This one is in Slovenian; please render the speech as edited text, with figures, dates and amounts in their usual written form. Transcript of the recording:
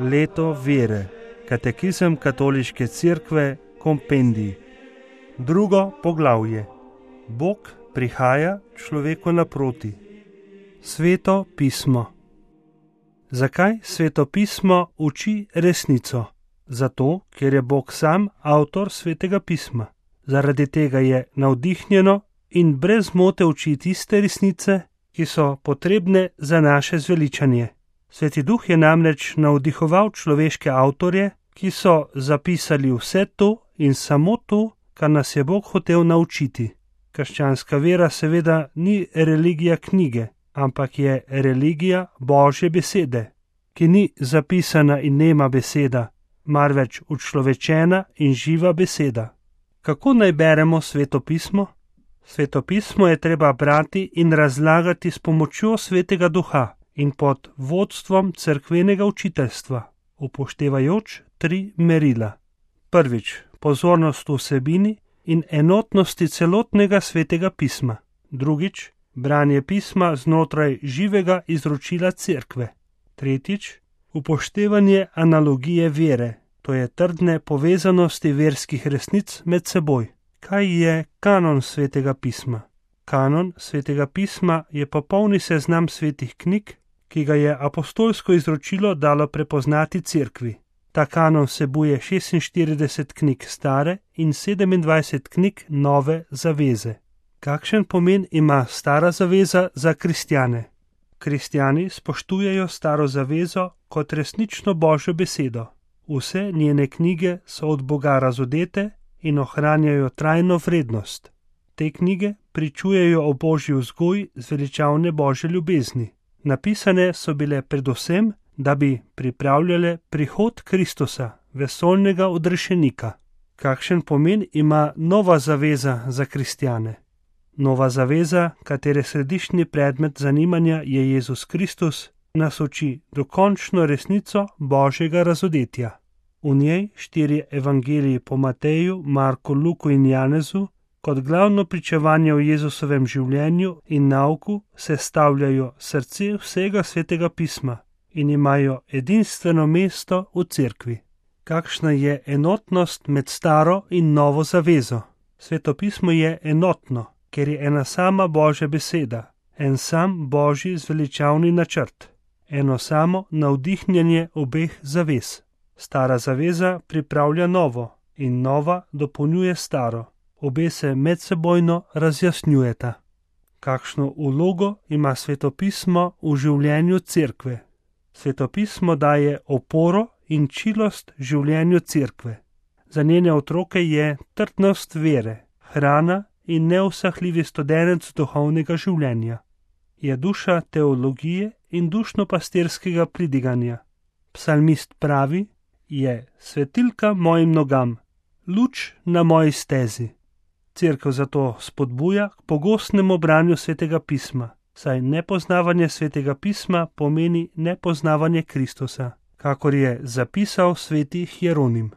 Leto vere. Katekizem Katoliške cerkve, kompendij. Drugo poglavje. Bog prihaja človeku naproti. Sveto pismo. Zakaj Sveto pismo uči resnico? Zato, ker je Bog sam avtor Svetega pisma. Zaradi tega je navdihnjeno in brez zmote uči tiste resnice, ki so potrebne za naše zveličanje. Sveti Duh je namreč navdihoval človeške avtorje, ki so zapisali vse to in samo to, kar nas je Bog hotel naučiti. Krščanska vera seveda ni religija knjige, ampak je religija Božje besede, ki ni zapisana in nema beseda, marveč učlovečena in živa beseda. Kako naj beremo Sveto pismo? Sveto pismo je treba brati in razlagati s pomočjo Svetega Duha in pod vodstvom cerkvenega učiteljstva, upoštevajoč 3 merila. Prvič, pozornost vsebini in enotnosti celotnega Svetega pisma. Drugič, branje pisma znotraj živega izročila cerkve. Tretjič, upoštevanje analogije vere, to je trdne povezanosti verskih resnic med seboj. Kaj je kanon Svetega pisma? Kanon Svetega pisma je popolni seznam svetih knjig, ki ga je apostolsko izročilo dalo prepoznati cerkvi. Ta kanon vsebuje 46 knjig stare in 27 knjig nove zaveze. Kakšen pomen ima stara zaveza za kristjane? Kristjani spoštujejo staro zavezo kot resnično Božjo besedo. Vse njene knjige so od Boga razodete in ohranjajo trajno vrednost. Te knjige pričujejo o Božji vzgoji zveličavne Božje ljubezni. Napisane so bile predvsem, da bi pripravljale prihod Kristusa, vesoljnega odrešenika. Kakšen pomen ima nova zaveza za kristjane? Nova zaveza, katere središčni predmet zanimanja je Jezus Kristus, nas uči dokončno resnico Božjega razodetja. V njej 4 evangeliji po Mateju, Marku, Luku in Janezu kot glavno pričevanje o Jezusovem življenju in nauku sestavljajo srce vsega Svetega pisma in imajo edinstveno mesto v cerkvi. Kakšna je enotnost med staro in novo zavezo? Sveto pismo je enotno, ker je ena sama Božja beseda, en sam Božji zveličavni načrt, eno samo navdihnjenje obeh zavez. Stara zaveza pripravlja novo in nova dopolnjuje staro. Obe se medsebojno razjasnjujeta. Kakšno vlogo ima Sveto pismo v življenju cerkve? Sveto pismo daje oporo in čilost življenju cerkve. Za njene otroke je trdnost vere, hrana in neusahljivi studenec duhovnega življenja. Je duša teologije in dušno-pastirskega pridiganja. Psalmist pravi, je svetilka mojim nogam, luč na moji stezi. Cerkev zato spodbuja k pogostnemu branju Svetega pisma, saj nepoznavanje Svetega pisma pomeni nepoznavanje Kristusa, kakor je zapisal sveti Hieronim.